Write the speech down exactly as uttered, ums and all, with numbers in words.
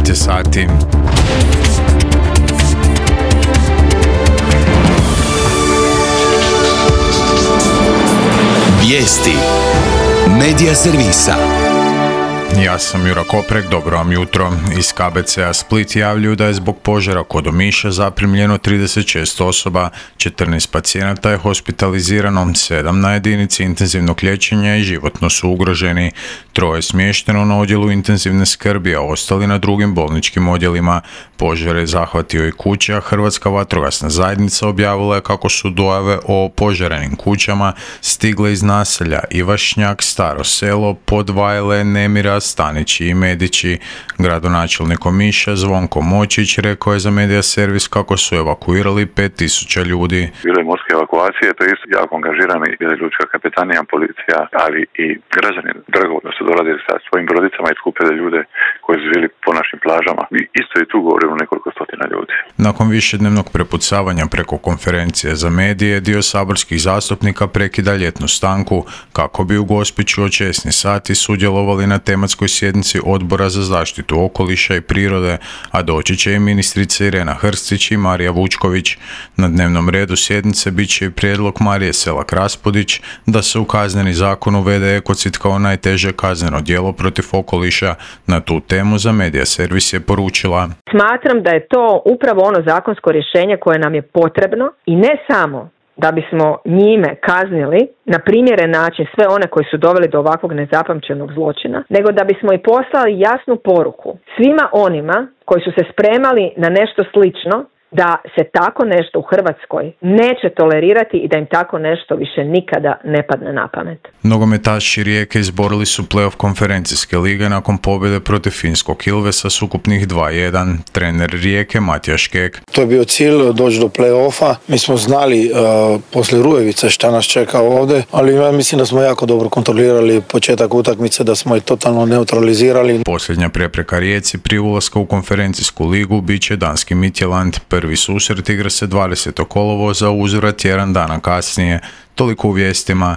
devet je sati. Vijesti Medija servisa. Ja sam Jura Koprek, dobro vam jutro. Iz K B C-a Split javljaju da je zbog požara kod Omiša zaprimljeno trideset šest osoba, četrnaest pacijenata je hospitalizirano, sedam na jedinici intenzivnog liječenja i životno su ugroženi. Troje je smješteno na odjelu intenzivne skrbi, a ostali na drugim bolničkim odjelima. Požar je zahvatio i kuće, a Hrvatska vatrogasna zajednica objavila je kako su dojave o požarenim kućama stigle iz naselja Ivašnjak, Staro selo, Podvajle, Nemira, Stanići i Medići. Gradonačelnik Omiša Zvonko Močić rekao je za Medija servis kako su evakuirali pet tisuća ljudi. Bile morske evakuacije, to je isto jako angažirani, bila je lučka kapetanija, policija, ali i građani dragovoljno su dolazili sa svojim brodicama i skupili ljude koji su živjeli po našim plažama. I isto i tu govorimo nekoliko stotina ljudi. Nakon višednevnog prepucavanja preko konferencije za medije, dio saborskih zastupnika prekida ljetnu stanku kako bi u Gospiću od šesnaest sati sudjelovali na tematskoj sjednici Odbora za zaštitu okoliša i prirode, a doći će i ministrica Irena Hrstić i Marija Vučković. Na dnevnom redu sjednice bit će i prijedlog Marije Selak Raspudić da se u kazneni zakon uvede ekocid kao najteže kazneno djelo protiv okoliša. Na tu temu za Medija servis je poručila: Smatram da je to upravo ono zakonsko rješenje koje nam je potrebno i ne samo da bismo njime kaznili na primjeren način sve one koji su doveli do ovakvog nezapamćenog zločina, nego da bismo i poslali jasnu poruku svima onima koji su se spremali na nešto slično, da se tako nešto u Hrvatskoj neće tolerirati i da im tako nešto više nikada ne padne na pamet. Nogometaši Rijeke izborili su play-off konferencijske lige nakon pobjede protiv finskog Ilvesa s ukupnih dva jedan. Trener Rijeke Matija Škek: To je bio cilj, doći do play-offa. Mi smo znali uh, poslije Rujevice šta nas čeka ovdje, ali ja mislim da smo jako dobro kontrolirali početak utakmice, da smo ih totalno neutralizirali. Posljednja prepreka Rijeci prije ulaska u konferencijsku ligu bit će danski Midtjylland. Prvi susret igra se dvadesetog kolovoza, uzvrat tjedan dana kasnije. Toliko u vijestima.